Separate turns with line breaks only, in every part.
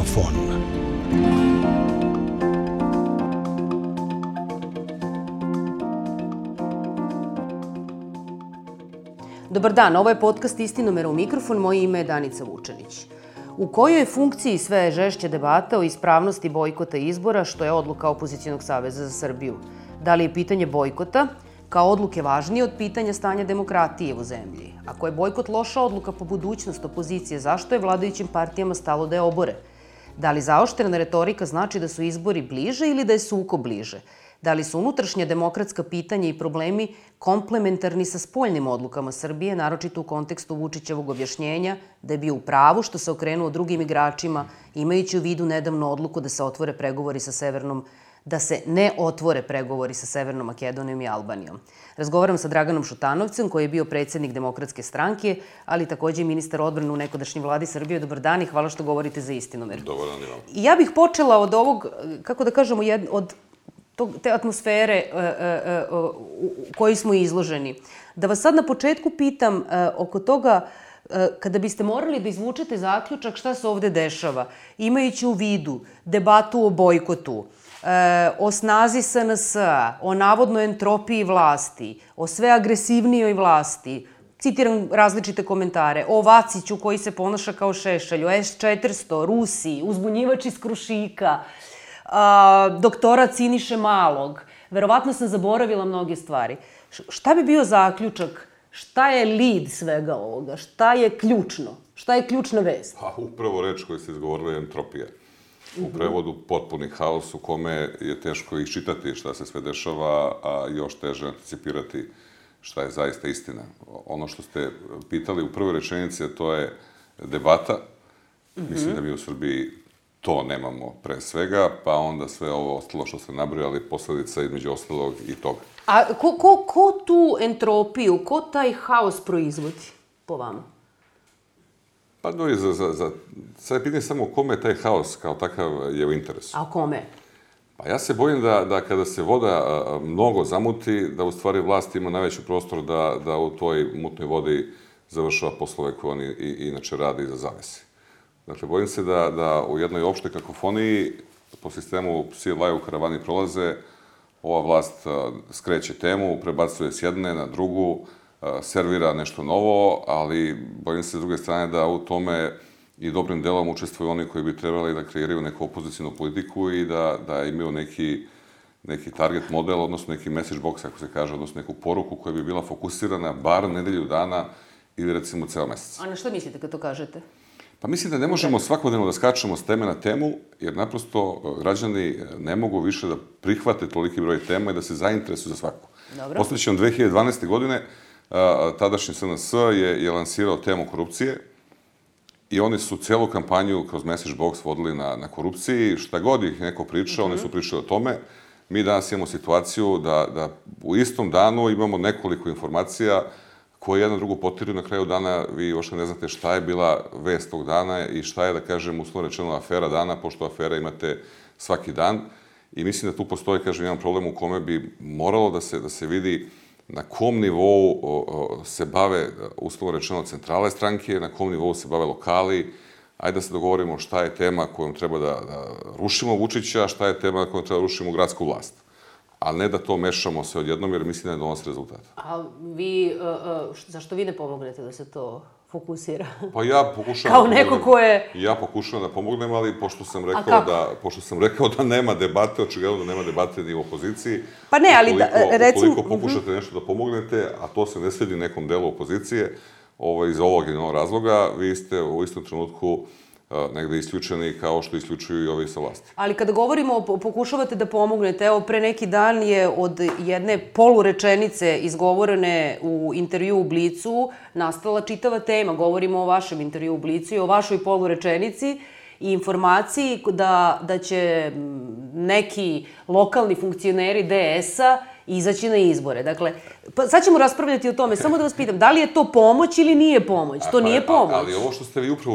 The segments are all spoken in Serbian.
Mikrofon.
Dobar dan, ovo je podcast Istinomera u mikrofon, moje ime je Danica Vučanić. U kojoj je funkciji sve žešća debata o ispravnosti bojkota izbora, što je odluka Opozicionog saveza za Srbiju? Da li je pitanje bojkota kao odluke važnije od pitanja stanja demokratije u zemlji? Ako je bojkot loša odluka po budućnost opozicije, zašto je vladajućim partijama stalo da je obore? Da li zaoštrena retorika znači da su izbori bliže ili da je sukob bliže? Da li su unutrašnja demokratska pitanja i problemi komplementarni sa spoljnim odlukama Srbije, naročito u kontekstu Vučićevog objašnjenja da je bio u pravu što se okrenuo drugim igračima, imajući u vidu nedavnu odluku da se ne otvore pregovori sa Severnom Makedonijom i Albanijom. Razgovaram sa Draganom Šutanovcem, koji je bio predsednik Demokratske stranke, ali takođe i ministar odbrane u nekadašnjoj vladi Srbije. Dobar dan i hvala što govorite za Istinomer.
Dobar dan i vam.
Ja bih počela od ovog, kako da kažemo, od te atmosfere u kojoj smo izloženi. Da vas sad na početku pitam oko toga, kada biste morali da izvučete zaključak šta se ovde dešava, imajući u vidu debatu o bojkotu, o snazi SNS-a, o navodnoj entropiji vlasti, o sve agresivnijoj vlasti, citiram različite komentare, o Vaciću koji se ponaša kao Šešelj, o S-400, Rusiji, uzbunjivač iz Krušika, doktora Siniše Malog. Verovatno sam zaboravila mnoge stvari. Šta bi bio zaključak? Šta je lead svega ovoga? Šta je ključno? Šta je ključna vest?
Pa upravo reč koju ste izgovorili je entropija. U prevodu potpuni haos u kome je teško iščitati šta se sve dešava, a još teže anticipirati šta je zaista istina. Ono što ste pitali u prvoj rečenici, to je debata. Mislim da mi u Srbiji to nemamo pre svega, pa onda sve ovo ostalo što ste nabrojali, posledica između ostalog i toga.
A ko tu entropiju, ko taj haos proizvodi po vama?
Pa sad je pitanje samo kome taj haos kao takav je u interesu.
A kome?
Pa ja se bojim da kada se voda mnogo zamuti, da u stvari vlast ima najveći prostor da u toj mutnoj vodi završava poslove koje oni inače rade iza zavese. Dakle, bojim se da u jednoj opštoj kakofoniji, po sistemu psi laju, karavani prolaze, ova vlast skreće temu, prebacuje s jedne na drugu, servira nešto novo, ali bojim se s druge strane da u tome i dobrim delom učestvuju oni koji bi trebali da kreiraju neku opozicijnu politiku i da imaju neki target model, odnosno neki message box, ako se kaže, odnosno neku poruku koja bi bila fokusirana bar nedelju dana ili recimo ceo mesec.
A na što mislite kad to kažete?
Pa mislim da ne možemo svakodnevno da skačemo s teme na temu, jer naprosto građani ne mogu više da prihvate toliki broj tema i da se zainteresuju za svaku. Posledćom 2012. godine tadašnji SNS je lansirao temu korupcije i oni su celu kampanju kroz message box vodili na korupciji. Šta god ih neko pričao, oni su pričali o tome. Mi danas imamo situaciju da u istom danu imamo nekoliko informacija koje jedna drugu potiruju. Na kraju dana vi uopšte ne znate šta je bila vest tog dana i šta je, da kažem, uslovno rečeno afera dana, pošto afera imate svaki dan. I mislim da tu postoji, kažem, jedan problem u kome bi moralo da se vidi na kom nivou se bave, uslovno rečeno, centrale stranke, na kom nivou se bave lokali. Ajde da se dogovorimo šta je tema kojom treba da rušimo Vučića, šta je tema kojom treba da rušimo gradsku vlast. A ne da to mešamo sve odjednom, jer mislim da ne donosi rezultata.
A zašto vi ne pomognete da se to fokusira?
Pa ja pokušavam...
Kao neko ko je...
Ja pokušavam da pomognem, ali pošto sam rekao da nema debate, očigledno da nema debate ni u opoziciji.
Pa ne, ali recimo...
Ukoliko pokušate nešto da pomognete, a to se ne svedi nekom delu opozicije, iz ovog ili onog razloga, vi ste u istom trenutku negde isključeni kao što isključuju i ovi sa vlasti.
Ali kada govorimo, pokušavate da pomognete, evo, pre neki dan je od jedne polurečenice izgovorene u intervju u Blicu nastala čitava tema. Govorimo o vašem intervju u Blicu i o vašoj polurečenici i informaciji da će neki lokalni funkcioneri DS-a izaći na izbore. Dakle, sad ćemo raspravljati o tome. Samo da vas pitam, da li je to pomoć ili nije pomoć? To nije pomoć.
Ali ovo što ste vi upravo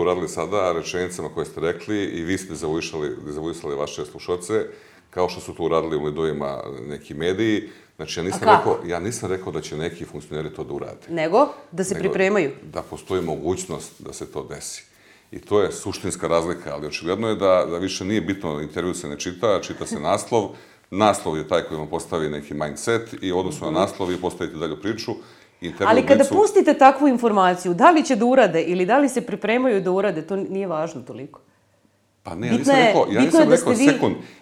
uradili sada, rečenicama koje ste rekli, i vi ste dezavuisali vaše slušalce, kao što su to uradili u lidovima neki mediji. Znači, ja nisam rekao da će neki funkcioneri to da urade.
Nego? Da se pripremaju?
Da postoji mogućnost da se to desi. I to je suštinska razlika, ali očigledno je da više nije bitno, intervju se ne čita, čita se naslov. Naslov je taj koji vam postavi neki mindset i u odnosu na naslov vi postavite dalju priču.
Ali kada pustite takvu informaciju, da li će da urade ili da li se pripremaju da urade, to nije važno toliko.
Pa ne, ja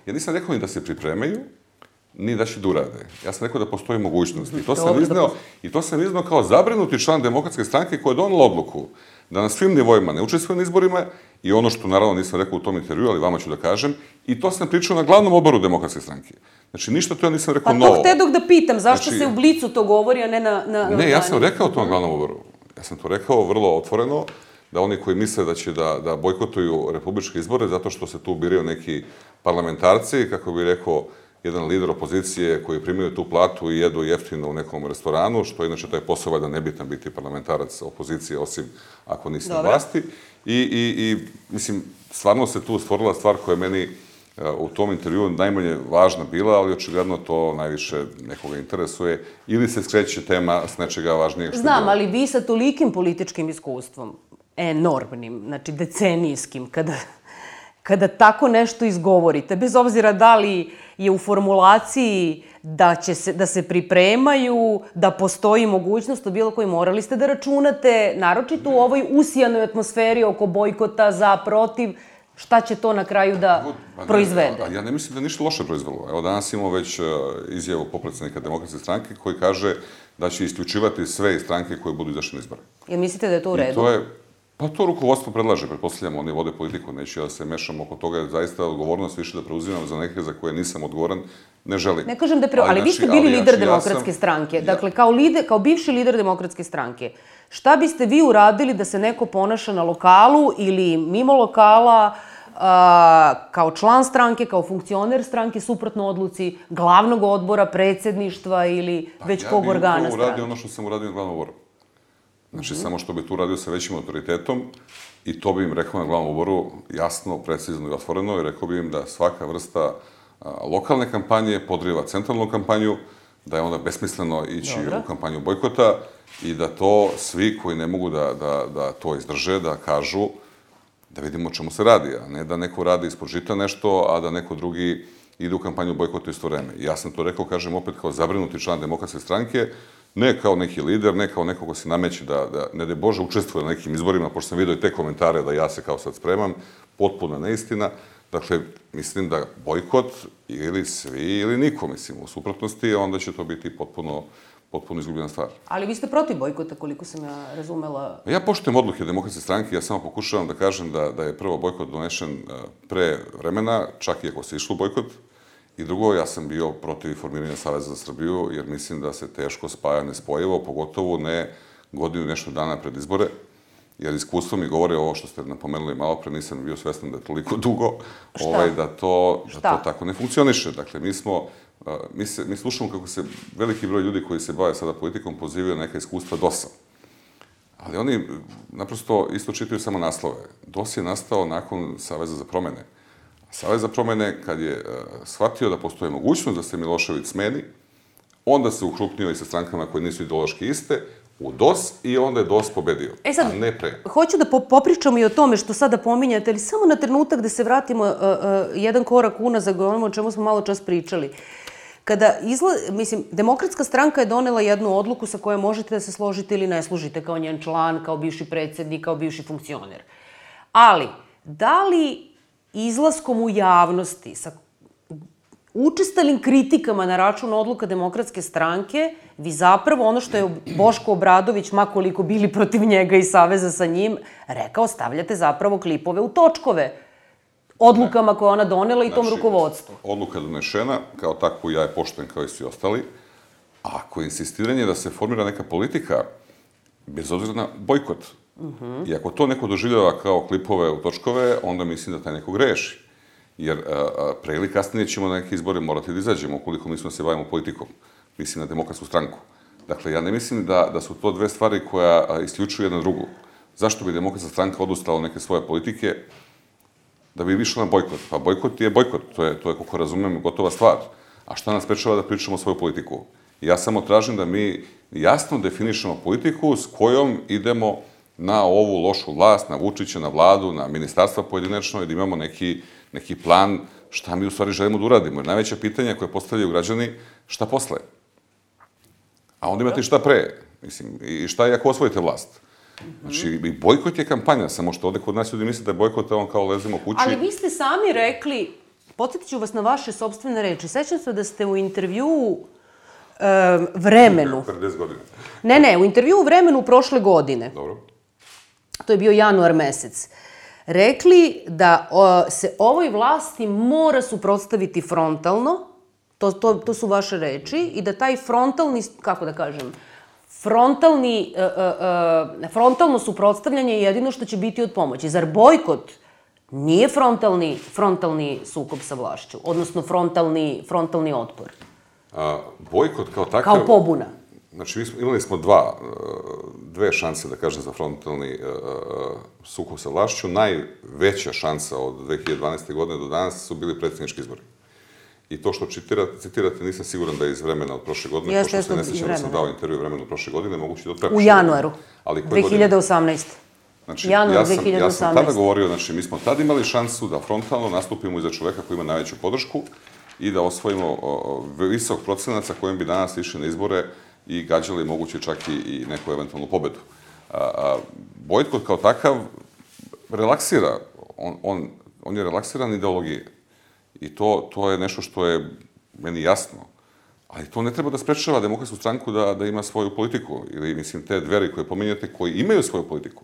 nisam rekao ni da se pripremaju, ni da će da urade. Ja sam rekao da postoji mogućnost. I to sam izneo kao zabrinuti član Demokratske stranke koja je donela odluku da na svim nivoima ne učestvuje na izborima i ono što naravno nisam rekao u tom intervju, ali vama ću da kažem, i to sam pričao na glavnom odboru Demokratske stranke. Znači, ništa to ja nisam rekao novo.
Pa to htedog da pitam, zašto se u Blicu to govori, a ne na...
Ne, ja sam rekao to na glavnom odboru. Ja sam to rekao vrlo otvoreno, da oni koji misle da će da bojkotuju republičke izbore zato što se tu biraju neki parlamentarci, kako bi rekao jedan lider opozicije koji primaju tu platu i jedu jeftino u nekom restoranu, što inače taj posao da nebitan biti parlamentarac opozicije, osim ako nisi na vlasti. I, mislim, stvarno se tu stvorila stvar koja je meni u tom intervju najmanje važna bila, ali očigledno to najviše nekoga interesuje ili se skreće tema s nečega važnijeg što je bilo.
Znam, ali vi sa tolikim političkim iskustvom, enormnim, znači decenijskim, kada tako nešto izgovorite, bez obzira da li je u formulaciji da se pripremaju, da postoji mogućnost, o bilo koji morali ste da računate, naročito u ovoj usijanoj atmosferi oko bojkota, za, protiv, šta će to na kraju da proizvede?
Ja ne mislim da je ništa loše proizvelo. Evo, danas imamo već izjavu popredsednika Demokratske stranke koji kaže da će isključivati sve stranke koje budu izašle na izbore.
Jel mislite da je to u redu?
Pa to rukovodstvo predlaže, pretpostavljamo, oni vode politiku, neću ja da se mešam oko toga, jer zaista odgovornost više da preuzimam za neke za koje nisam odgovoran, ne želim.
Ne kažem da ali vi ste bili lider Demokratske stranke, dakle, kao bivši lider Demokratske stranke, šta biste vi uradili da se neko ponaša na lokalu ili mimo lokala, kao član stranke, kao funkcioner stranke, suprotno odluci glavnog odbora, predsedništva ili već kog organa stranke?
Ja bih uradio ono što sam uradio na glavnom odboru. Znači, samo što bi tu uradio sa većim autoritetom i to bi im rekao na glavnom odboru jasno, precizno i otvoreno i rekao bi im da svaka vrsta lokalne kampanje podriva centralnu kampanju, da je onda besmisleno ići u kampanju bojkota i da to svi koji ne mogu da to izdrže, da kažu da vidimo o čemu se radi, a ne da neko radi ispod žita nešto, a da neko drugi ide u kampanju bojkota isto vreme. Ja sam to rekao, kažem opet, kao zabrinuti član Demokratske stranke, ne kao neki lider, ne kao neko ko se nameće da ne daj Bože, učestvuje na nekim izborima, pošto sam vidio i te komentare da ja se kao sad spremam, potpuna neistina. Dakle, mislim da bojkot ili svi ili niko, mislim, u suprotnosti, onda će to biti potpuno izgubljena stvar.
Ali vi ste protiv bojkota, koliko sam ja razumela.
Ja poštujem odluke Demokratske stranke, ja samo pokušavam da kažem da je prvo bojkot donešen pre vremena, čak i ako se išlo bojkot. I drugo, ja sam bio protiv formiranja Saveza za Srbiju, jer mislim da se teško spaja nespojivo, pogotovo ne godinu i nešto dana pred izbore, jer iskustvo mi govore ovo što ste napomenuli malo pre, nisam bio svestan da je toliko dugo, da to tako ne funkcioniše. Dakle, mi slušamo kako se veliki broj ljudi koji se bave sada politikom pozivaju na neka iskustva DOS-a. Ali oni naprosto isto čitaju samo naslove. DOS je nastao nakon Saveza za promene. Savez za promene, kad je shvatio da postoje mogućnost da se Milošević smeni, onda se ukrupnio i sa strankama koje nisu ideološki iste, u DOS i onda je DOS pobedio, a ne pre.
Hoću da popričamo i o tome što sada pominjate, ali samo na trenutak da se vratimo jedan korak unazad o čemu smo malo čas pričali. Demokratska stranka je donela jednu odluku sa kojom možete da se složite ili ne složite kao njen član, kao bivši predsednik, kao bivši funkcioner. Ali, da li izlaskom u javnosti sa učestalim kritikama na račun odluka Demokratske stranke, vi zapravo ono što je Boško Obradović, makoliko bili protiv njega i saveza sa njim, rekao, stavljate zapravo klipove u točkove odlukama koje ona donela i tom rukovodstvu.
Odluka je donešena, kao takvu ja je poštujem kao i svi ostali, a ako je insistiranje da se formira neka politika, bez obzira na bojkot, i ako to neko doživljava kao klipove u točkove, onda mislim da taj neko greši. Jer pre ili kasnije ćemo na neke izbore morati da izađemo, ukoliko mislimo da se bavimo politikom. Mislim na Demokratsku stranku. Dakle, ja ne mislim da su to dve stvari koja isključuju jedna drugu. Zašto bi Demokratska stranka odustala od neke svoje politike da bi išla na bojkot? Pa bojkot je bojkot, to je, kako razumem, gotova stvar. A šta nas sprečava da pričamo svoju politiku? Ja samo tražim da mi jasno definišemo politiku s kojom idemo na ovu lošu vlast, na Vučića, na vladu, na ministarstva pojedinačno i da imamo neki plan šta mi u stvari želimo da uradimo. Jer najveća pitanja koje postavljaju građani, šta posle? A onda imate i šta pre. Mislim, i šta je ako osvojite vlast? Znači, i bojkot je kampanja, samo što ovde kod nas ljudi misle da je bojkot, on kao lezemo kući.
Ali vi ste sami rekli, podsjetit ću vas na vaše sopstvene reči, sećam se da ste u intervjuu Vremenu...
Pre 10 godina.
Ne, u intervjuu Vremenu prošle godine.
Dobro.
To je bio januar mesec. Rekli da se ovoj vlasti mora suprotstaviti frontalno, to su vaše reči, i da taj frontalni, kako da kažem, frontalno suprotstavljanje je jedino što će biti od pomoći. Zar bojkot nije frontalni sukob sa vlašću, odnosno frontalni otpor?
Bojkot kao takav...
Kao pobuna.
Znači, imali smo dve šanse, da kažem, za frontalni sukob sa vlašću. Najveća šansa od 2012. godine do danas su bili predsjednički izbori. I to što citirate, nisam siguran da je iz Vremena od prošle godine, pošto se ne sjećam da sam dao intervju Vremenu prošle godine, moguće da od prepošle.
U januaru, 2018.
Znači,
januar 2018.
Ja sam tada govorio, znači, mi smo tada imali šansu da frontalno nastupimo iza čoveka koji ima najveću podršku i da osvojimo visok procenac sa kojim bi danas išli na izbore i gađali moguće čak i neku eventualnu pobedu. Bojkot kao takav relaksira, on je relaksiran ideologije. I to je nešto što je meni jasno. Ali to ne treba da sprečava Demokratsku stranku da ima svoju politiku. Ili, mislim, te Dveri koje pominjate, koji imaju svoju politiku.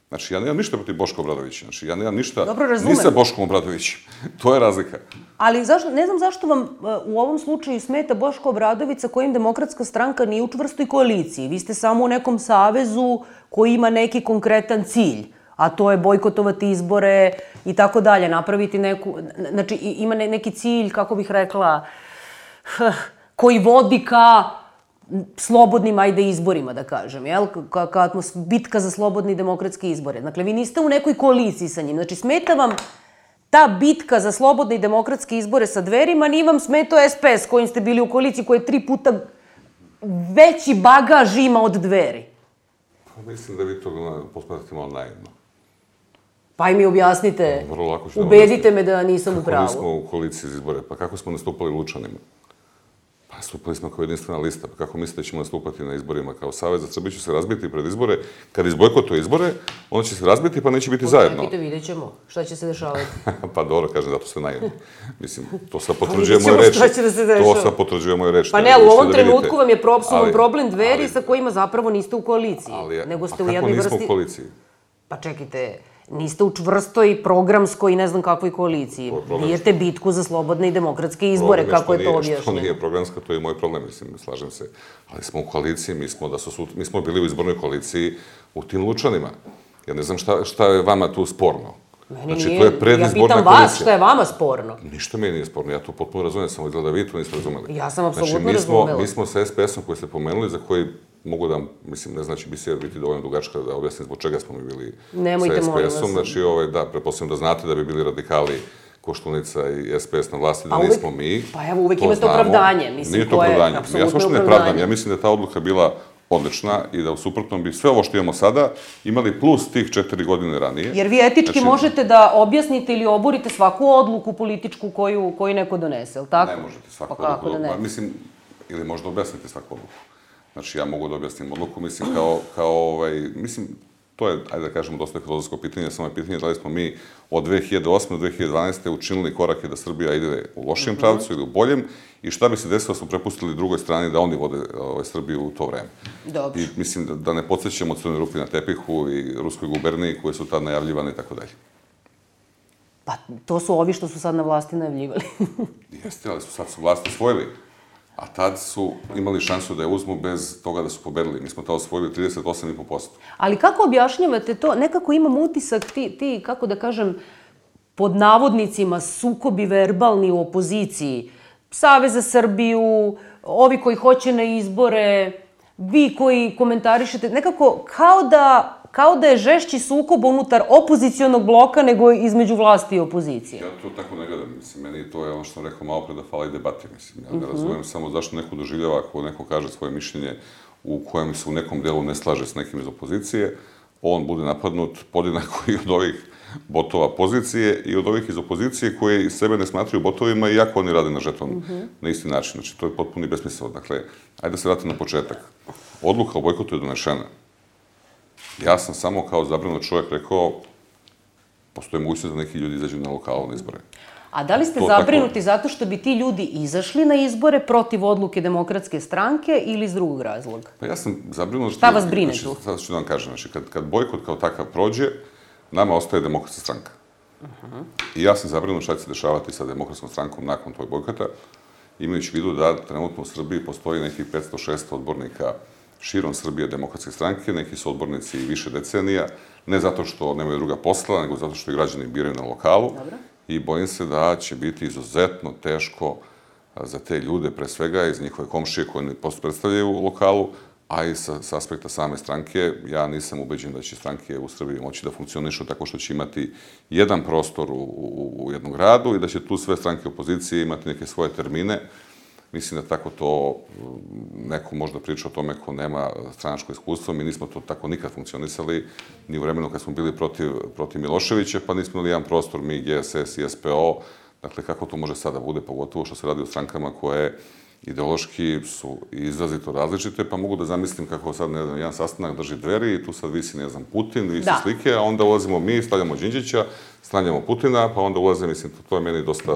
Znači, ja nemam ništa protiv Boška Obradovića. Znači, ja nemam ništa ni sa Boškom Obradovićem. To je razlika.
Ali ne znam zašto vam u ovom slučaju smeta Boško Obradović sa kojim Demokratska stranka nije u čvrstoj koaliciji. Vi ste samo u nekom savezu koji ima neki konkretan cilj, a to je bojkotovati izbore i tako dalje, napraviti neku... Znači, ima neki cilj, kako bih rekla, koji vodi ka slobodnim, ajde, izborima, da kažem, jel? Bitka za slobodne i demokratske izbore. Dakle, vi niste u nekoj koaliciji sa njim. Znači, smeta vam ta bitka za slobodne i demokratske izbore sa Dverima, nije vam smetao SPS s kojim ste bili u koaliciji, koji je 3 puta veći bagaž ima od Dveri.
Pa mislim da vi to posmatrate malo naivno.
Pa i mi objasnite, ubedite me da nisam u pravu.
Kako nismo u koaliciji za izbore? Pa kako smo nastupali Lučanima? Pa nastupali smo kao jedinstvena lista. Pa kako mislite da ćemo nastupati na izborima kao Savez za Srbiju? Će se razbiti pred izbore. Kad izbojkotuje izbore, onda će se razbiti pa neće biti zajedno.
Počekajte, vidjet ćemo šta će se dešavati.
Pa dobro, kažem, zato sve najedno. Mislim, to sad potvrđuje moje reči. To sad potvrđuje moje reči.
Pa ne, u ovom trenutku vam je problem Dveri sa kojima zapravo niste u koaliciji. Nego ste u jednoj vrsti...
A kako nismo u koaliciji?
Pa čekajte, niste u čvrstoj, programskoj, ne znam kakvoj koaliciji. Bijete bitku za slobodne i demokratske izbore, kako je to objašnjeno.
Što nije programska, to je moj problem, mislim, slažem se. Ali smo u koaliciji, mi smo bili u izbornoj koaliciji u tim Lučanima. Ja ne znam šta je vama tu sporno.
Znači, to je predizborna koalicija. Ja pitam vas šta je vama sporno.
Ništa meni nije sporno, ja to potpuno razumijem, samo izgleda vi to niste razumeli.
Ja sam apsolutno razumela.
Mi smo sa SPS-om koji ste pomenuli, za koji mogu da, mislim, ne znači bisija biti dovoljno dugačka da objasnim zbog čega smo mi bili sa SPS-om. Znači, da, pretpostavljam da znate da bi bili radikali Koštunica i SPS na vlasti, da nismo mi.
Pa evo, uvek imate opravdanje.
Nije to opravdanje. Ja sam što ne pravdam. Ja mislim da je ta odluka bila odlična i da u suprotnom bi sve ovo što imamo sada imali plus tih 4 godine ranije.
Jer vi etički možete da objasnite ili oborite svaku odluku političku koju neko donese, ili tako?
Ne možete svaku odluku. Mislim, ili možda objasnite svaku odluku. Znači, ja mogu da objasnim odluku, mislim, mislim, to je, ajde da kažemo, dosta filozofsko pitanje, samo je pitanje da li smo mi od 2008. do 2012. učinili korake da Srbija ide u lošijem pravcu ili u boljem i šta bi se desilo da smo prepustili drugoj strani da oni vode Srbiju u to vreme.
Dobro.
I mislim da ne podsjećamo Crnoj rupi na tepihu i Ruskoj guberniji koje su tad najavljivane i tako dalje.
Pa to su ovi što su sad na vlasti najavljivali.
Jeste, ali sad su vlasti osvojili. A tad su imali šansu da je uzmu bez toga da su pobedili. Mi smo to osvojili 38,5%.
Ali kako objašnjavate to? Nekako imam utisak, ti, kako da kažem, pod navodnicima sukobi verbalni u opoziciji, Savez za Srbiju, ovi koji hoće na izbore, vi koji komentarišete, nekako kao da je žešći sukob unutar opozicionog bloka nego između vlasti i opozicije.
Ja to tako ne gledam, mislim, meni to je ono što sam rekao malo pre da fali debati, mislim. Ja ne razumijem samo zašto neko doživljava ako neko kaže svoje mišljenje u kojem se u nekom delu ne slaže s nekim iz opozicije, on bude napadnut podjednako i od ovih botova pozicije i od ovih iz opozicije koji sebe ne smatraju botovima iako oni rade na žeton na isti način. Znači, to je potpuno i besmisleno. Dakle, ajde da se vratim na početak. Odluka o bojkotu je donešena. Ja sam samo kao zabrinut čovjek rekao, postoje mogućnost da neki ljudi izađu na lokalne izbore.
A da li ste zabrinuti zato što bi ti ljudi izašli na izbore protiv odluke Demokratske stranke ili iz drugog razloga?
Pa ja sam zabrinut...
Šta vas brine tu?
Sad ću da vam kažem. Znači, kad bojkot kao takav prođe, nama ostaje Demokratska stranka. I ja sam zabrinut šta će se dešavati sa Demokratskom strankom nakon tog bojkota, imajući u vidu da trenutno u Srbiji postoji nekih 500-600 odbornika širom Srbije Demokratske stranke, neki su odbornici više decenija, ne zato što nemaju druga posla, nego zato što i građani biraju na lokalu. I bojim se da će biti izuzetno teško za te ljude, pre svega iz njihove komšije koje ne predstavljaju u lokalu, a i sa aspekta same stranke. Ja nisam ubeđen da će stranke u Srbiji moći da funkcionišu tako što će imati jedan prostor u jednom gradu i da će tu sve stranke opozicije imati neke svoje termine. Mislim da tako to neko možda priča o tome ko nema stranačko iskustvo. Mi nismo to tako nikad funkcionisali, ni u vremenu kad smo bili protiv Miloševića, pa nismo imali jedan prostor, mi, GSS i SPO. Dakle, kako to može sada bude, pogotovo što se radi o strankama koje ideološki su izrazito različite, pa mogu da zamislim kako sad, ne znam, jedan sastanak drži Dveri i tu sad visi, ne znam, Putin, visi slike, a onda ulazimo mi, stavljamo Đinđića, stavljamo Putina, pa onda ulaze, mislim, to je meni dosta...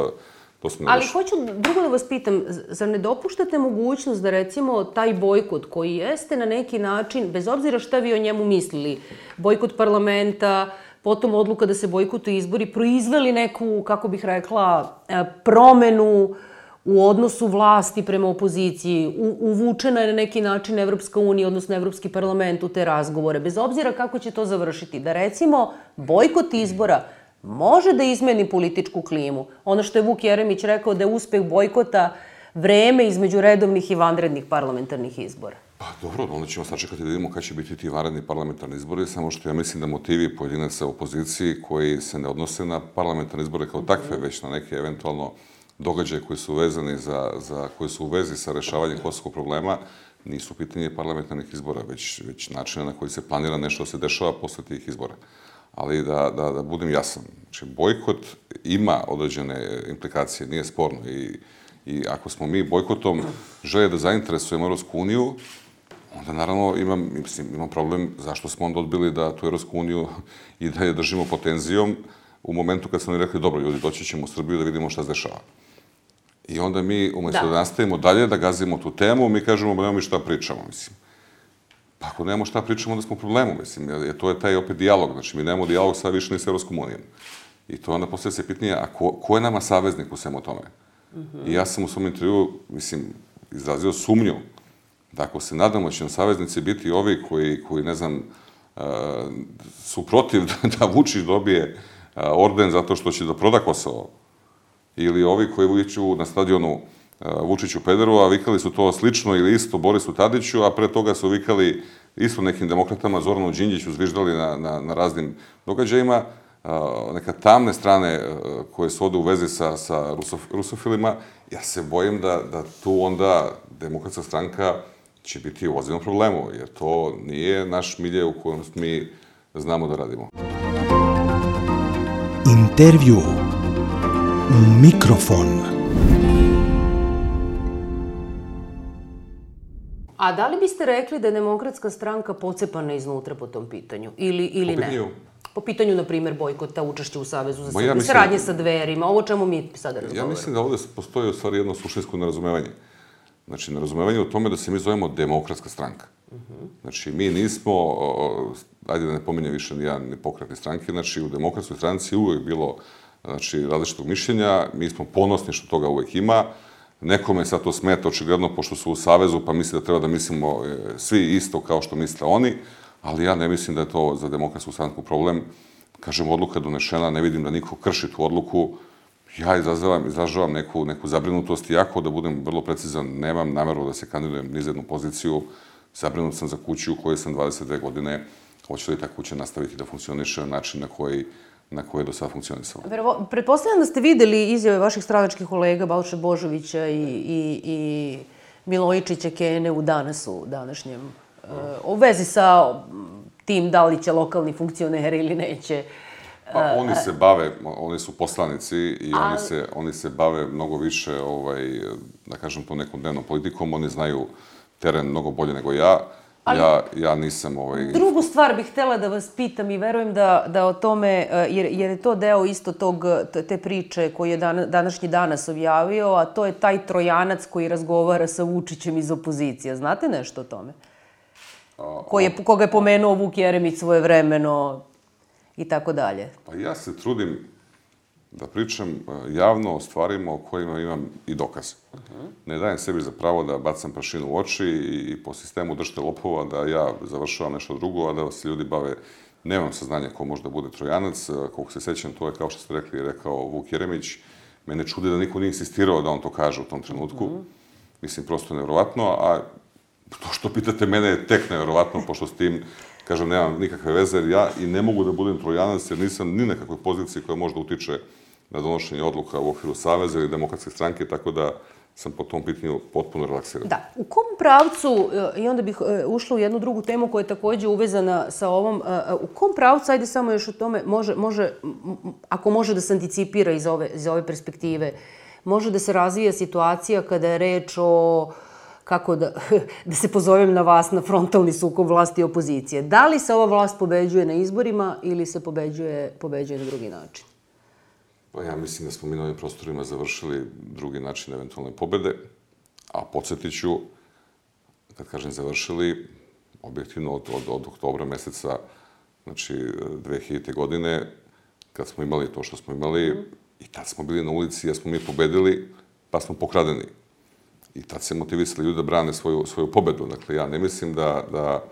Ali hoću drugo da vas pitam, zar ne dopuštate mogućnost da recimo taj bojkot koji jeste na neki način, bez obzira šta vi o njemu mislili, bojkot parlamenta, potom odluka da se bojkotuju izbori, proizveli neku, kako bih rekla, promenu u odnosu vlasti prema opoziciji, uvučena je na neki način Evropska unija, odnosno Evropski parlament u te razgovore, bez obzira kako će to završiti, da recimo bojkot izbora može da izmeni političku klimu. Ono što je Vuk Jeremić rekao da je uspeh bojkota vreme između redovnih i vanrednih parlamentarnih izbora.
Pa dobro, onda ćemo sačekati da vidimo kada će biti ti vanredni parlamentarni izbori, samo što ja mislim da motivi pojedinaca u opoziciji koji se ne odnose na parlamentarne izbore kao takve, već na neke eventualno događaje koji su vezani koji su u vezi sa rešavanjem kosovskog problema, nisu pitanje parlamentarnih izbora, već načina na koji se planira nešto da se dešava posle tih izbora. Ali da budem jasan, znači bojkot ima određene implikacije, nije sporno i ako smo mi bojkotom žele da zainteresujemo Evropsku uniju, onda naravno imam problem zašto smo onda odbili da tu Evropsku uniju i da je držimo pod tenzijom u momentu kad smo rekli dobro ljudi, doći ćemo u Srbiju da vidimo šta se dešava. I onda mi umjesto da nastavimo dalje, da gazimo tu temu, mi kažemo nemamo mi šta pričamo, mislim. Pa ako nemamo šta pričamo, onda smo u problemu, mislim, jer to je taj opet dijalog, znači mi nemamo dijalog sad više ni s Evropskom unijom. I to onda postavlja se pitanje, a ko je nama saveznik u svemu tome? I ja sam u svom intervju, mislim, izrazio sumnju da ako se nadamo će nam saveznici biti ovi koji ne znam, su protiv da Vučić dobije orden zato što će da proda Kosovo, ili ovi koji viču na stadionu Vučiću pederu, a vikali su to slično ili isto Borisu Tadiću, a pre toga su vikali isto nekim demokratama, Zoranu Đinđiću, zviždali na raznim događajima, neka tamne strane koje su ovde u vezi sa rusofilima, ja se bojim da tu onda Demokratska stranka će biti u ozbiljnom problemu, jer to nije naš milje u kojem mi znamo da radimo.
Intervju Mikrofon.
A da li biste rekli da je Demokratska stranka pocepana iznutra po tom pitanju? Ili ne? Po pitanju, na primjer, bojkota, učešća u Savezu za Srbiju, saradnje sa Dverima, ovo čemu mi sada razgovaramo.
Ja mislim da ovde postoji u stvari jedno suštinsko nerazumevanje. Znači, nerazumevanje u tome da se mi zovemo Demokratska stranka. Znači, mi nismo, ajde da ne pominjem više ni pokretne stranke, znači u Demokratskoj stranci uvek bilo različitog mišljenja, mi smo ponosni što toga uvek ima. Nekome sad to smeta, očigledno, pošto su u Savezu, pa misli da treba da mislimo svi isto kao što misle oni, ali ja ne mislim da je to za Demokratsku stranku problem. Kažem, odluka je donešena, ne vidim da niko krši tu odluku. Ja izražavam neku zabrinutost, iako da budem vrlo precizan, nemam nameru da se kandidujem ni za jednu poziciju. Zabrinut sam za kuću u kojoj sam 22 godine. Hoće li ta kuća nastaviti da funkcioniše na način na koji je do sada funkcionisalo.
Pretpostavljam da ste videli izjave vaših stranačkih kolega Balše Božovića i Milojičića Kene u Danasu današnjem, u vezi sa tim da li će lokalni funkcioneri ili neće.
Pa oni se bave, oni su poslanici i oni se bave mnogo više, da kažem to, nekom dnevnom politikom, oni znaju teren mnogo bolje nego ja. Ja nisam...
Drugu stvar bih htjela da vas pitam i verujem da o tome, jer je to deo isto te priče koju je današnji Danas objavio, a to je taj Trojanac koji razgovara sa Vučićem iz opozicije. Znate nešto o tome? Koga je pomenuo Vuk Jeremić svojevremeno i tako dalje.
Pa ja se trudim da pričam javno o stvarima o kojima imam i dokaze. Ne dajem sebi za pravo da bacam prašinu u oči i po sistemu držite lopova da ja završavam nešto drugo, a da se ljudi bave. Nemam saznanja ko može da bude Trojanac. Koliko se sećam, to je, kao što ste rekli, rekao Vuk Jeremić. Mene čudi da niko nije insistirao da on to kaže u tom trenutku. Mislim, prosto nevjerovatno, a to što pitate mene je tek nevjerovatno, pošto s tim, kažem, nemam nikakve veze, jer ja i ne mogu da budem Trojanac, jer nisam ni nekakvoj poziciji koja možda utiče na donošenje odluka u okviru Saveza ili Demokratske stranke, tako da sam po tom pitanju potpuno relaksiran.
Da. U kom pravcu, i onda bih ušla u jednu drugu temu koja je također uvezana sa ovom, u kom pravcu, ajde samo još o tome, ako može da se anticipira iz ove perspektive, može da se razvija situacija kada je reč o, kako da se pozovem na vas, na frontalni sukob vlasti i opozicije. Da li se ova vlast pobeđuje na izborima ili se pobeđuje na drugi način?
Pa ja mislim da smo mi na ovim prostorima završili drugi način eventualne pobede, a podsjetit ću, kad kažem završili, objektivno od oktobra meseca, znači 2000. godine, kad smo imali to što smo imali, i tad smo bili na ulici jer smo mi pobedili, pa smo pokradeni. I tad se motivisali ljudi da brane svoju pobedu. Dakle, ja ne mislim da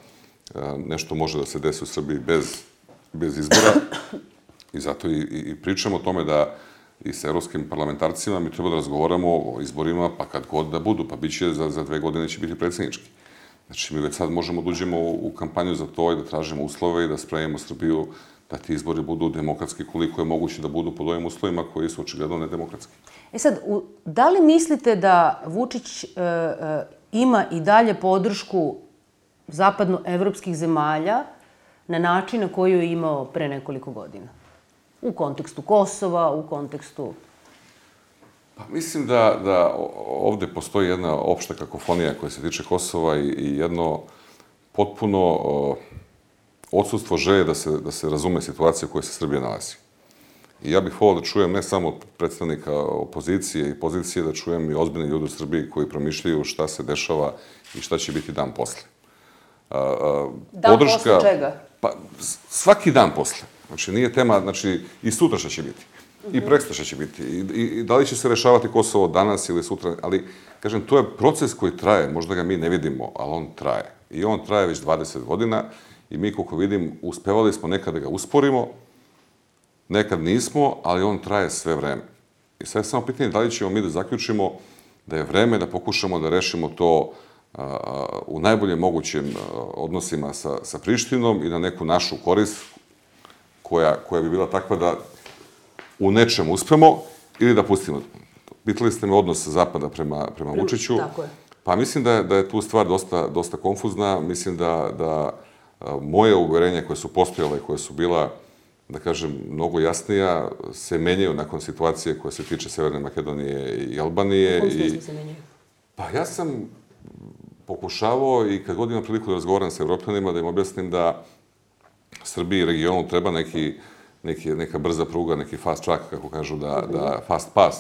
nešto može da se desi u Srbiji bez izbora. I zato i pričamo o tome da i sa evropskim parlamentarcima mi treba da razgovaramo o izborima, pa kad god da budu, pa bit će za 2 godine će biti predsjednički. Znači, mi već sad možemo da uđemo u kampanju za to i da tražimo uslove i da spremimo Srbiju da ti izbori budu demokratski koliko je moguće da budu pod ovim uslovima koji su očigledno nedemokratski.
Sad, da li mislite da Vučić ima i dalje podršku zapadnoevropskih zemalja na način na koji je imao pre nekoliko godina? U kontekstu Kosova, u kontekstu...
Pa mislim da ovde postoji jedna opšta kakofonija koja se tiče Kosova i jedno potpuno odsustvo želje da se razume situacija u kojoj se Srbija nalazi. I ja bih volao da čujem ne samo od predstavnika opozicije i pozicije, da čujem i ozbiljni ljudi u Srbiji koji promišljaju šta se dešava i šta će biti dan posle.
Dan posle čega?
Pa svaki dan posle. Znači, nije tema, znači, i sutra šta će biti. I prekstra šta će biti. I da li će se rešavati Kosovo danas ili sutra. Ali, kažem, to je proces koji traje. Možda ga mi ne vidimo, ali on traje. I on traje već 20 godina. I mi, koliko vidim, uspevali smo nekad da ga usporimo, nekad nismo, ali on traje sve vreme. I sad je samo pitanje da li ćemo mi da zaključimo da je vreme da pokušamo da rešimo to u najbolje mogućim odnosima sa Prištinom i na neku našu korist koja bi bila takva da u nečem uspemo ili da pustimo. Pitali ste me odnos Zapada prema Vučiću.
Tako je.
Pa mislim da je tu stvar dosta konfuzna. Mislim da moje uverenja koje su postojale i koje su bila, da kažem, mnogo jasnija, se menjaju nakon situacije koja se tiče Severne Makedonije i Albanije.
U kom smislu se menjaju?
Pa ja sam pokušavao i kad god imam priliku da razgovaram sa Evropljanima, da im objasnim da Srbiji i regionu treba neka brza pruga, neki fast track, kako kažu, fast pass,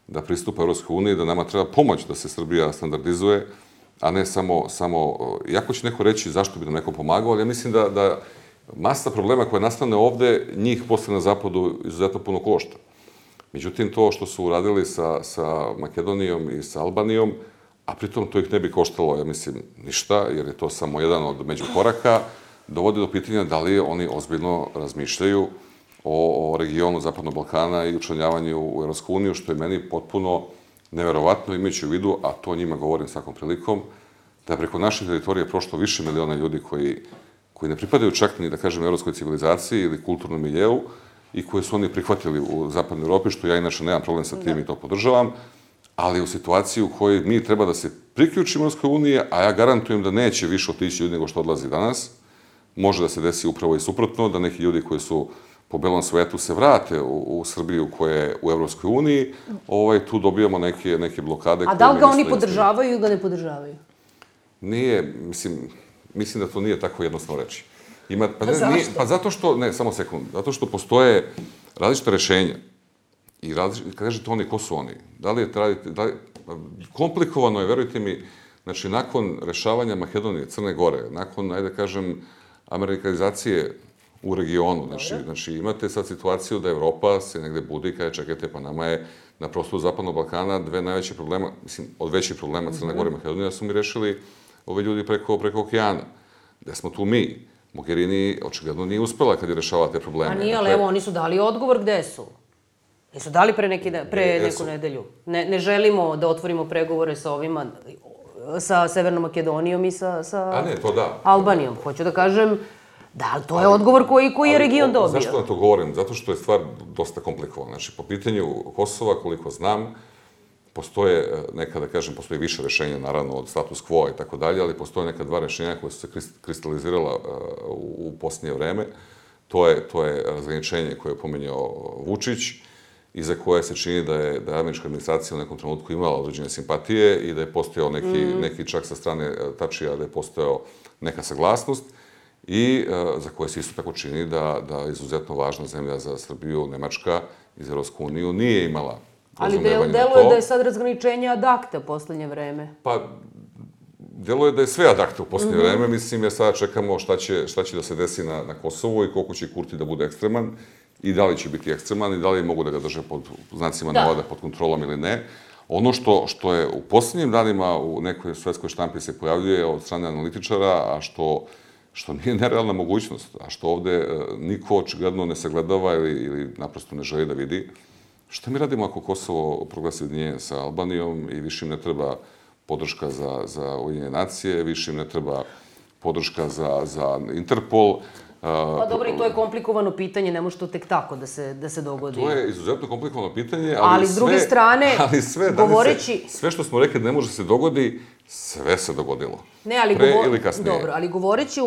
da pristupa Evropskoj uniji, da nama treba pomoć da se Srbija standardizuje, a ne samo... Iako će neko reći zašto bi nam neko pomagao, ali ja mislim da masa problema koja nastane ovde, njih posle na zapadu izuzetno puno košta. Međutim, to što su uradili sa Makedonijom i sa Albanijom, a pritom to ih ne bi koštalo, ja mislim, ništa, jer je to samo jedan od međukoraka, dovodi do pitanja da li oni ozbiljno razmišljaju o regionu Zapadnog Balkana i učlanjavanju u Evropsku uniju, što je meni potpuno neverovatno, imajući u vidu, a to njima govorim svakom prilikom, da je preko naših teritorija prošlo više miliona ljudi koji ne pripadaju čak ni, da kažem, evropskoj civilizaciji ili kulturnom miljeu i koje su oni prihvatili u Zapadnoj Evropi, što ja inače nemam problem sa tim i to podržavam, ali u situaciji u kojoj mi treba da se priključimo Evropskoj uniji, a ja garantujem da neće više otići ljudi nego što odlazi danas, može da se desi upravo i suprotno, da neki ljudi koji su po belom svetu se vrate u Srbiju koja je u Evropskoj uniji, tu dobijamo neke blokade.
A da li ga oni podržavaju ili ga ne podržavaju?
Nije, mislim da to nije tako jednostavno reći.
Zašto?
Pa zato što, ne, samo sekund, zato što postoje različite rešenja. I kad kažete oni, ko su oni? Da li je komplikovano je, verujte mi, znači, nakon rešavanja Makedonije, Crne Gore, nakon, ajde kažem, amerikanizacije u regionu, znači, imate sad situaciju da Evropa se negde budi i kaže, čekajte, pa nama je na prostoru Zapadnog Balkana dve najveće problema, mislim, od većih problema Crne Gore i Makedonije, da su mi rešili ove ljudi preko okeana. Gde smo tu mi? Mogherini očigledno nije uspela kad je rešavala te probleme.
A nije, ali evo, oni su dali odgovor gde su. Jesu dali pre neku nedelju. Ne želimo da otvorimo pregovore sa ovima, sa Severnom Makedonijom i sa Albanijom. Hoću da kažem, da, to je odgovor koji je region dobio.
Zašto vam to govorim? Zato što je stvar dosta komplikovana. Znači, po pitanju Kosova, koliko znam, postoje neka, da kažem, postoji više rešenja, naravno, od status quo i tako dalje, ali postoje neka dva rešenja koje su se kristalizirala u posljednje vreme. To je razgraničenje koje je pomenjao Vučić i za koje se čini da je američka administracija u nekom trenutku imala određene simpatije i da je postojao neki čak sa strane Tačija, da je postojao neka saglasnost i za koje se isto tako čini da izuzetno važna zemlja za Srbiju, Nemačka iz Evropsku uniju, nije imala razumevanje na to.
Ali deluje da je sad razgraničenje ad acta u poslednje vreme.
Pa, deluje da je sve ad acta u poslednje vreme, mislim, jer sada čekamo šta će da se desi na Kosovu i koliko će Kurti da bude ekstreman i da li će biti ekstreman i da li mogu da ga drže pod znacima navoda, pod kontrolom ili ne. Ono što je u poslednjim danima u nekoj svetskoj štampi se pojavljuje od strane analitičara, a što nije nerealna mogućnost, a što ovde niko očigledno ne sagledava ili naprosto ne želi da vidi. Šta mi radimo ako Kosovo proglasi ujedinjenje sa Albanijom i više im ne treba podrška za Ujedinjene nacije, više im ne treba podrška za Interpol.
Pa dobro, i to je komplikovano pitanje, ne može to tek tako da se dogodi.
To je izuzetno komplikovano pitanje,
ali s druge strane, govoreći...
Sve što smo rekli da ne može se dogodi, sve se dogodilo.
Ne, ali
pre ili kasnije.
Dobro, ali govoreći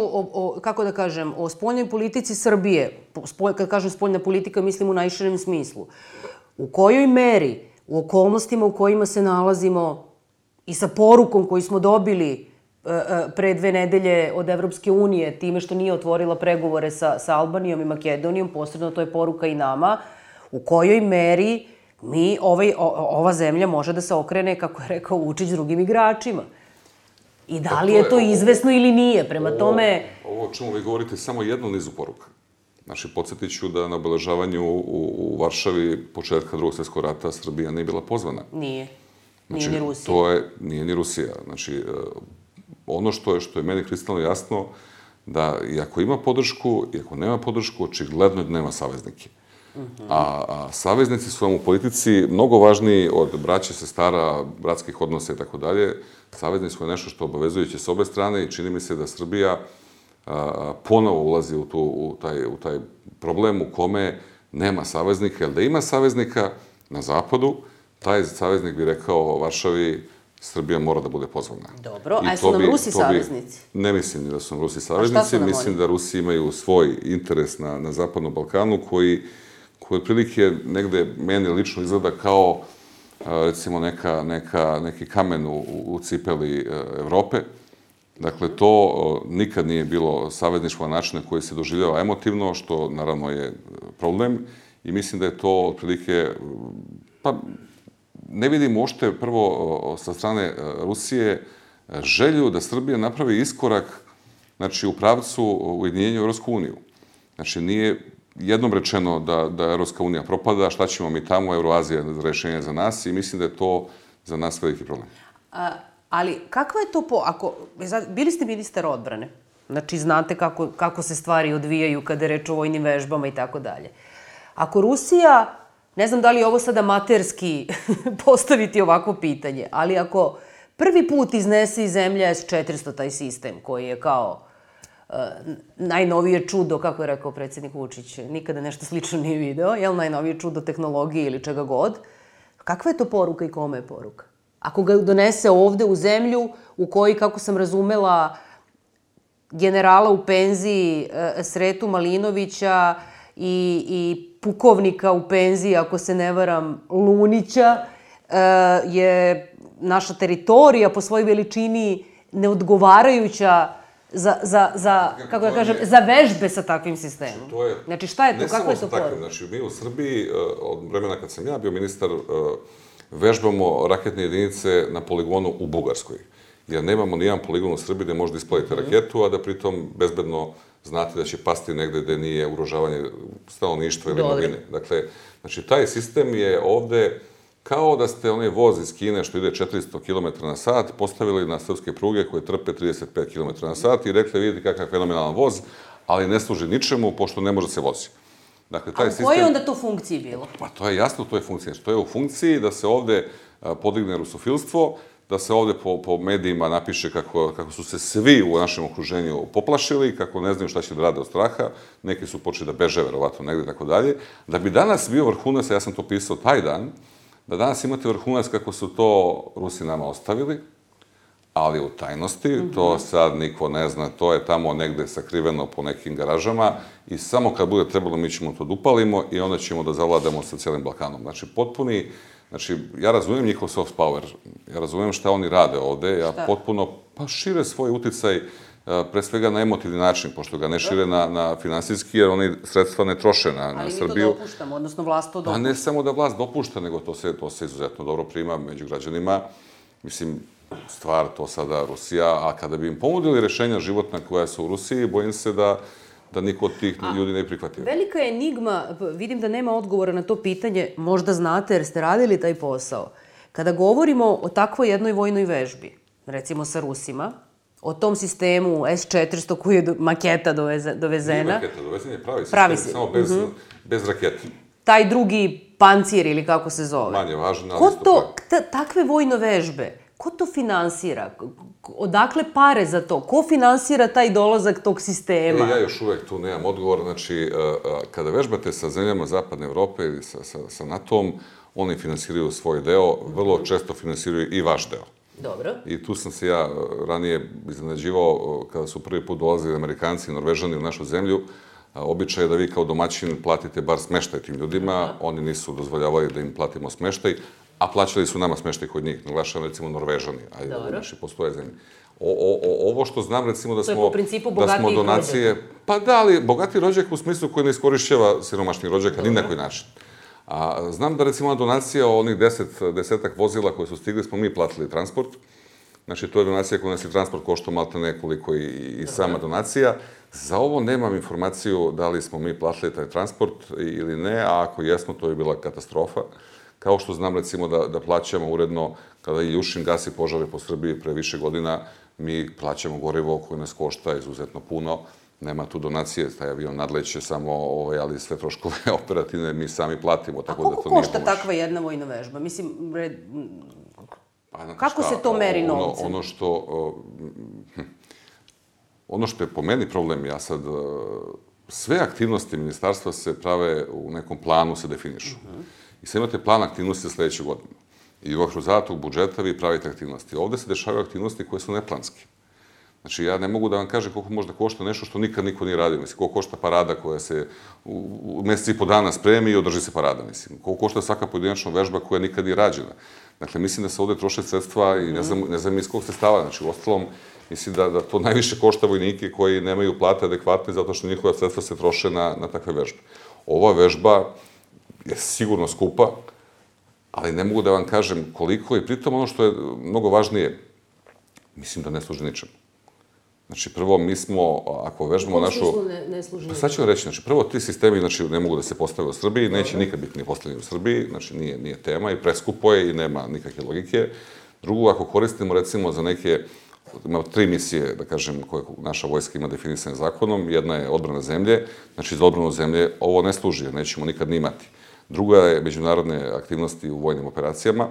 kako da kažem, o spoljnoj politici Srbije, kad kažem spoljna politika, mislim u najširem smislu, u kojoj meri, u okolnostima u kojima se nalazimo i sa porukom koju smo dobili pre 2 nedelje od Evropske unije, time što nije otvorila pregovore sa Albanijom i Makedonijom, posredno to je poruka i nama, u kojoj meri ova zemlja može da se okrene, kako je rekao Vučić, drugim igračima. I da li je to izvesno ili nije, prema tome...
Ovo o čemu vi govorite samo jednu nizu poruka. Znači, podsjetit ću da na obeležavanju u Varšavi početka Drugog svjetskog rata Srbija nije bila pozvana.
Nije. Nije ni Rusija.
Nije ni Rusija. Znači, ono što je meni kristalno jasno, da i ako ima podršku, i ako nema podršku, očigledno je da nema saveznike. A saveznici su vam u politici mnogo važniji od braće, sestara, bratskih odnosa i tako dalje. Saveznici su nešto što obavezujuće s obe strane i čini mi se da Srbija ponovo ulazi u taj problem u kome nema saveznika, jer da ima saveznika na zapadu, taj saveznik bi rekao Varšavi, Srbija mora da bude pozvana.
Dobro, a su nam Rusi saveznici?
Ne mislim da su nam Rusi saveznici, mislim da Rusi imaju svoj interes na Zapadnom Balkanu koji otprilike negde meni lično izgleda kao recimo neki kamen u cipeli Evrope. Dakle, to nikad nije bilo savezništvo na način na koji se doživljava emotivno, što naravno je problem i mislim da je to otprilike, pa ne vidim uopšte prvo sa strane Rusije želju da Srbija napravi iskorak, znači, u pravcu ujedinjenja u Evropsku uniju. Znači, nije jednom rečeno da Evropska unija propada, šta ćemo mi tamo, Euroazija je rešenje za nas i mislim da je to za nas veliki problem.
Ali kakva je to bili ste ministar odbrane, znači znate kako se stvari odvijaju kada je reč o vojnim vežbama i tako dalje. Ako Rusija, ne znam da li je ovo sada amaterski postaviti ovako pitanje, ali ako prvi put iznese iz zemlje S-400 taj sistem koji je kao najnovije čudo, kako je rekao predsjednik Vučić, nikada nešto slično nije video, jel najnovije čudo tehnologije ili čega god, kakva je to poruka i kome je poruka? Ako ga donese ovde u zemlju u kojoj, kako sam razumela, generala u penziji Sretu Malinovića i pukovnika u penziji, ako se ne varam, Lunića, je naša teritorija po svojoj veličini neodgovarajuća kako da kažem, za vežbe sa takvim sistemom. Znači, šta je to? Kako je to poruka?
Znači, mi u Srbiji, od vremena kad sam ja bio ministar, vežbamo raketne jedinice na poligonu u Bugarskoj. Jer nemamo nijedan poligon u Srbiji gde možete ispaliti raketu, a da pritom bezbedno znate da će pasti negde gde nije ugrožavanje stanovništva ili imovine. Dakle, znači, taj sistem je ovde kao da ste onaj voz iz Kine što ide 400 km na sat postavili na srpske pruge koje trpe 35 km na sat i rekli, vidite kakav fenomenalan voz, ali ne služi ničemu pošto ne može se vozi.
Dakle, a u kojoj onda to funkciji bilo?
Pa to je jasno, to je funkcija. To je u funkciji da se ovde podigne rusofilstvo, da se ovde po medijima napiše kako su se svi u našem okruženju poplašili, kako ne znaju šta će da rade od straha, neki su počeli da beže, verovatno, negde i tako dalje. Da bi danas bio vrhunac, ja sam to pisao taj dan, da danas imate vrhunac kako su to Rusi nama ostavili, ali u tajnosti, to sad niko ne zna, to je tamo negde sakriveno po nekim garažama i samo kad bude trebalo mi ćemo to da upalimo i onda ćemo da zavladamo sa cijelim Balkanom. Znači, potpuni, znači, ja razumijem njihov soft power, ja razumijem šta oni rade ovde, ja potpuno, pa šire svoj uticaj, pre svega na emotivni način, pošto ga ne šire na finansijski, jer oni sredstva ne troše na Srbiju.
Ali mi to dopuštamo, odnosno vlast to dopušta.
Pa ne samo da vlast dopušta, nego to se izuzetno dobro prima među građanima. Mislim, stvar to sada Rusija, a kada bi im ponudili rešenja životna koja su u Rusiji, bojim se da niko od tih ljudi ne prihvatio.
Velika je enigma, vidim da nema odgovora na to pitanje, možda znate jer ste radili taj posao. Kada govorimo o takvoj jednoj vojnoj vežbi, recimo sa Rusima, o tom sistemu S-400 koji je maketa dovezena.
Nije maketa, dovezen je pravi sistem, samo bez raketa.
Taj drugi pancir ili kako se zove.
Manje važan, ali isto pravi.
Takve vojne vežbe, ko to finansira? Odakle pare za to? Ko finansira taj dolazak tog sistema?
Ja još uvek tu nemam odgovor. Znači, kada vežbate sa zemljama Zapadne Evrope ili sa NATO-om, oni finansiraju svoj deo, vrlo često finansiraju i vaš deo.
Dobro.
I tu sam se ja ranije iznenađivao kada su prvi put dolazili Amerikanci i Norvežani u našu zemlju. Običaj je da vi kao domaćin platite bar smeštaj tim ljudima. Oni nisu dozvoljavali da im platimo smeštaj, a plaćali su nama smeštaj kod njih. Naglašavam, recimo, Norvežani, a i naši postoje zemlje. Ovo što znam, recimo, da smo...
To je po principu bogatijih rođaka.
Pa da, ali bogatiji rođak u smislu koji ne iskorišćava siromašnih rođaka ni na koji način. A znam da, recimo, donacija onih desetak vozila koje su stigli, smo mi platili transport. Znači, to je donacija koja nas i transport košta malte nekoliko i sama donacija. Za ovo nemam informaciju da li smo mi platili taj transport ili ne, a ako jesmo, to je bila katastrofa. Kao što znam, recimo, da plaćamo uredno, kada i Iljušin gasi požare po Srbiji pre više godina, mi plaćamo gorivo koje nas košta izuzetno puno. Nema tu donacije, taj avion nadleće samo, ali sve troškove operativne mi sami platimo, tako da to nije pomoć.
A koliko košta takva jedna vojna vežba? Mislim, kako se to meri novcem?
Ono što je po meni problem, ja sad, sve aktivnosti ministarstva se prave u nekom planu, se definišu. I sad imate plan aktivnosti za sledeću godinu. I u okviru zadatog budžeta vi pravite aktivnosti. Ovde se dešavaju aktivnosti koje su neplanske. Znači, ja ne mogu da vam kažem koliko možda košta nešto što nikad niko nije radio. Mislim, koliko košta parada koja se u meseci i po dana spremi i održi se parada, mislim. Koliko košta svaka pojedinačna vežba koja nikad nije rađena. Dakle, mislim da se ovde troše sredstva i ne znam iz kog sredstava. Znači, u ostalom, mislim da to najviše košta vojnike koji nemaju plate adekvatne zato što njihova sredstva se troše na takve vežbe. Ova vežba je sigurno skupa, ali ne mogu da vam kažem koliko i pritom ono što je mnogo važnije, mislim da ne služi ničemu. Znači, prvo, mi smo, ako vežbamo našu...
U kom smislu ne služi ničemu?
Sad ću vam reći, znači, prvo, ti sistemi, znači, ne mogu da se postave u Srbiji, neće nikad biti ni postavljeni u Srbiji, znači, nije tema i preskupo je i nema nikakve logike. Drugo, ako koristimo, recimo, za neke, ima 3 misije, da kažem, koje naša vojska ima definisane zakonom, jedna je odbrana zemlje, znači, za odbranu zemlje ovo ne služi, jer nećemo nikad ni imati. Druga je međunarodne aktivnosti u vojnim operacijama,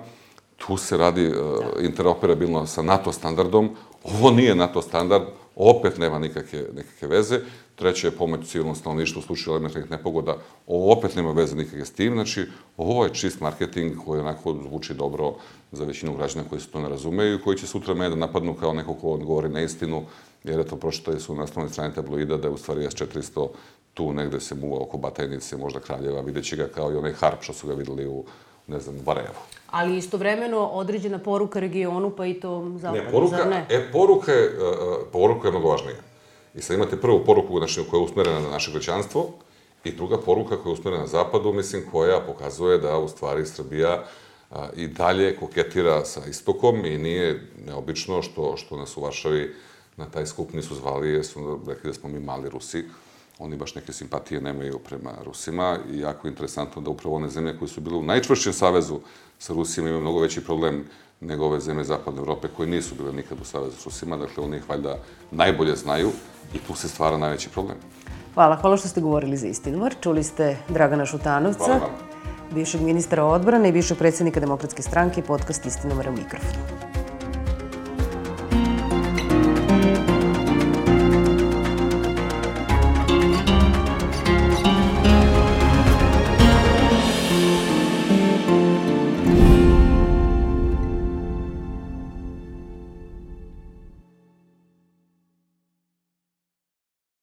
tu se radi interoperabilno sa NATO standardom. Ovo nije NATO standard, opet nema nikakve veze. Treće je pomoć civilnom stanovništvu u slučaju elementarnih nepogoda, ovo opet nema veze nikakve s tim. Znači, ovo je čist marketing koji onako zvuči dobro za većinu građana koji se to ne razumeju i koji će sutra mene da napadnu kao neko ko govori neistinu, jer eto, pročitali su na naslovnoj strani tabloida da je u stvari S-400 tu negde se muva oko Batajnice, možda Kraljeva, vidjet će ga kao i onaj harp što su ga videli u, ne znam, Barajevu.
Ali istovremeno određena poruka regionu, pa i to zapadu, zar ne?
Poruka je mnogo važnija. I sad imate prvu poruku koja je usmerena na naše građanstvo i druga poruka koja je usmerena na zapadu, mislim, koja pokazuje da u stvari Srbija i dalje koketira sa istokom i nije neobično što nas u Varšavi na taj skup nisu zvali jer su rekli da smo mi mali Rusi. Oni baš neke simpatije nemaju prema Rusima i jako je interesantno da upravo one zemlje koje su bile u najčvršćem savezu sa Rusima imaju mnogo veći problem nego ove zemlje Zapadne Evrope koje nisu bile nikad u savezu s Rusima. Dakle, oni ih valjda najbolje znaju i tu se stvara najveći problem.
Hvala što ste govorili za Istinomar. Čuli ste Dragana Šutanovca, bivšeg ministra odbrane i bivšeg predsjednika Demokratske stranke, podcast Istinomara u mikrofonu.